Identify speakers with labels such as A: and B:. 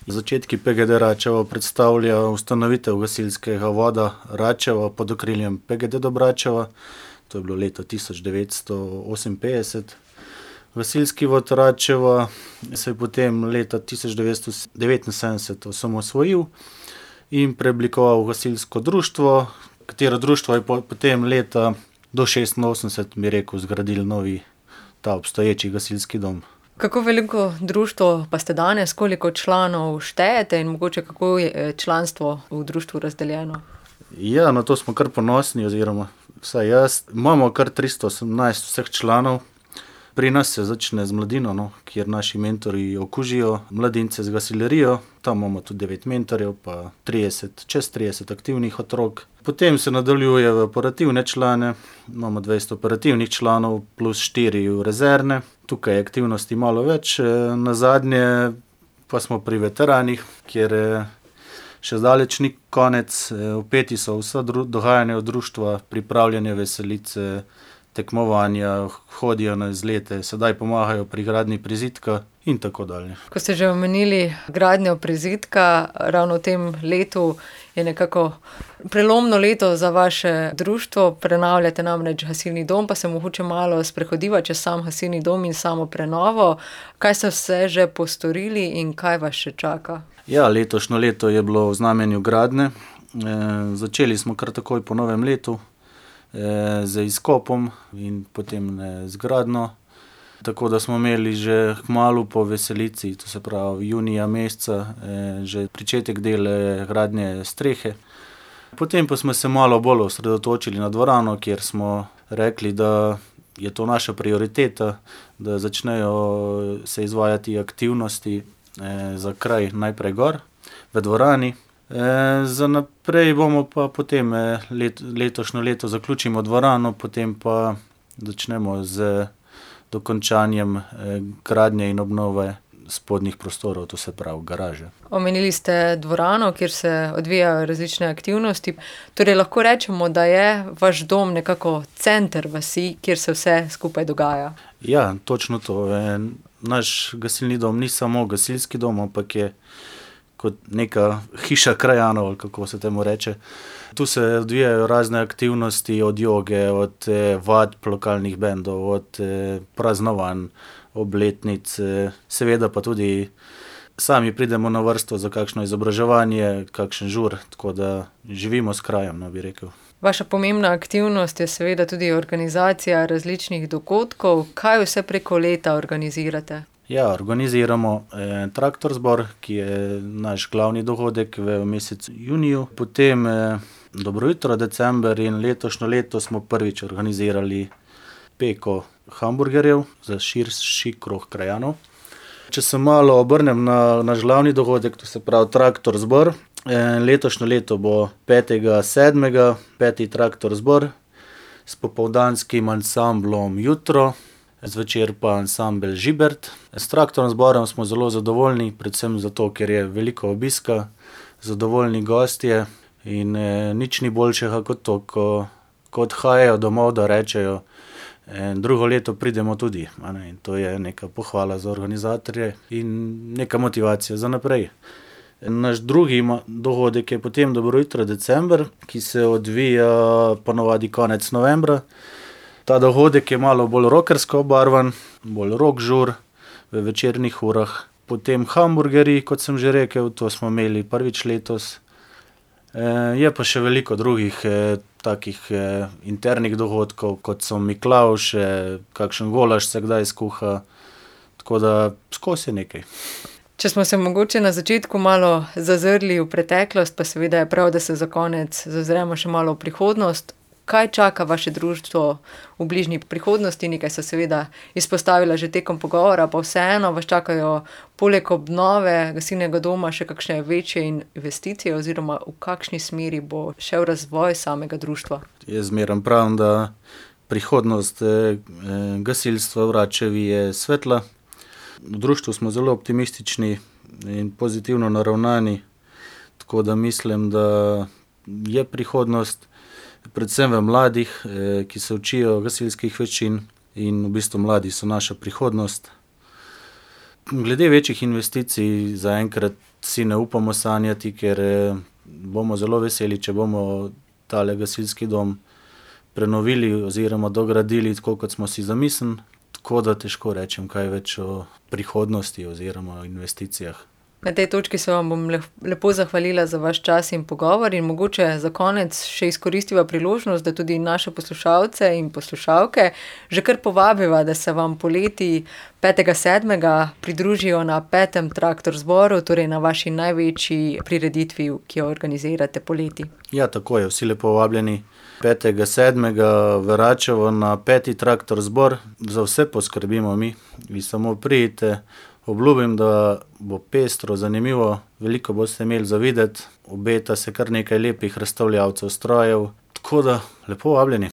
A: Začetki PGD Račevo predstavlja ustanovitev gasilskega voda Račevo pod okriljem PGD Dobračeva. To je bilo leto 1958. Gasilski vod Račevo se je potem leta 1979 osamosvojil in preoblikoval v gasilsko društvo, katero društvo je potem leta do 86, bi rekel, zgradili novi ta obstoječi gasilski dom.
B: Kako veliko društvo pa ste danes, koliko članov štejete in mogoče kako je članstvo v društvu razdeljeno?
A: Ja, na to smo kar ponosni, oziroma vsaj jaz. Imamo kar 318 vseh članov. Pri nas se začne z mladino, kjer naši mentorji okužijo mladince z gasilerijo. Tam imamo tudi 9 mentorjev, pa čez 30 aktivnih otrok. Potem se nadaljuje v operativne člane. Imamo 20 operativnih članov plus 4 rezervne. Tukaj je aktivnosti malo več. Nazadnje pa smo pri veteranih, kjer še zdaleč ni konec. Vpeti so vsa dogajanja od društva, pripravljanje veselice, tekmovanja, hodijo na izlete, sedaj pomagajo pri gradnji prizidka in tako dalje.
B: Ko ste že omenili gradnjo prizidka, ravno v tem letu je nekako prelomno leto za vaše društvo. Prenavljate namreč gasilni dom, pa se mogoče malo sprehodiva čez sam gasilni dom in samo prenovo. Kaj ste vse že postorili in kaj vas še čaka?
A: Ja, letošnje leto je bilo v znamenju gradnje. Začeli smo kar takoj po novem letu z izkopom in potem z gradnjo. Tako da smo imeli že kmalu po veselici, to se pravi junija meseca, že pričetek dela gradnje strehe. Potem pa smo se malo bolj osredotočili na dvorano, kjer smo rekli, da je to naša prioriteta, da začnejo se izvajati aktivnosti za kraj najprej gor v dvorani. Za naprej bomo pa potem letošnjo leto zaključimo dvorano, potem pa začnemo z dokončanjem gradnje in obnove spodnjih prostorov, to se pravi garaže.
B: Omenili ste dvorano, kjer se odvijajo različne aktivnosti. Torej lahko rečemo, da je vaš dom nekako center vasi, kjer se vse skupaj dogaja.
A: Ja, točno to. Naš gasilni dom ni samo gasilski dom, ampak je kot neka hiša krajanov, ali kako se temu reče. Tu se odvijajo razne aktivnosti, od joge, od vadb lokalnih bendov, od praznovanj, obletnic, seveda pa tudi sami pridemo na vrsto za kakšno izobraževanje, kakšen žur, tako da živimo s krajem, bi rekel.
B: Vaša pomembna aktivnost je seveda tudi organizacija različnih dogodkov. Kaj vse preko leta organizirate?
A: Ja, organiziramo traktor zbor, ki je naš glavni dogodek v mesecu juniju. Potem dobro jutro december in letošnjo leto smo prvič organizirali peko hamburgerjev za širši krog krajanov. Če se malo obrnem na naš glavni dogodek, to se pravi traktor zbor, letošnjo leto bo 5.7. 5. traktor zbor s popoldanskim ansamblom Jutro, zvečer pa ansambel Žibert. S traktornim zborom smo zelo zadovoljni, predvsem zato, ker je veliko obiska, zadovoljni gostje in nič ni boljšega kot to, ko odhajajo domov, da rečejo, drugo leto pridemo tudi. In to je neka pohvala za organizatorje in neka motivacija za naprej. Naš drugi dogodek je potem dobro jutro december, ki se odvija ponovadi konec novembra. Ta dogodek je malo bolj rockersko obarvan, bolj rock žur v večernih urah. Potem hamburgerji, kot sem že rekel, to smo imeli prvič letos. Je pa še veliko drugih takih internih dogodkov, kot so Miklavže, kakšen golaž se kdaj skuha, tako da skozi nekaj.
B: Če smo se mogoče na začetku malo zazrli v preteklost, pa seveda je prav, da se za konec zazremo še malo v prihodnost. Kaj čaka vaše društvo v bližnji prihodnosti? Nekaj so seveda izpostavila že tekom pogovora, pa vseeno vas čakajo poleg obnove gasilnega doma še kakšne večje investicije oziroma v kakšni smeri bo šel razvoj samega društva?
A: Jaz zmeraj pravim, da prihodnost gasilstva v Račevi je svetla. V društvu smo zelo optimistični in pozitivno naravnani, tako da mislim, da je prihodnost predvsem v mladih, ki se učijo gasilskih veščin in v bistvu mladi so naša prihodnost. Glede večjih investicij zaenkrat si ne upamo sanjati, ker bomo zelo veseli, če bomo tale gasilski dom prenovili oziroma dogradili tako, kot smo si zamislili. Tako da težko rečem kaj več o prihodnosti oziroma o investicijah.
B: Na tej točki se vam bom lepo zahvalila za vaš čas in pogovor in mogoče za konec še izkoristiva priložnost, da tudi naše poslušalce in poslušalke že kar povabiva, da se vam poleti 5. 7. pridružijo na 5. Traktor zboru, torej na vaši največji prireditvi, ki jo organizirate poleti.
A: Ja, tako je, vsi lepo vabljeni 5. 7. v Račevo na 5. Traktor zbor. Za vse poskrbimo mi, vi samo pridite. Obljubim, da bo pestro, zanimivo, veliko boste imeli za videti, obeta se kar nekaj lepih razstavljavcev strojev, tako da lepo vabljeni.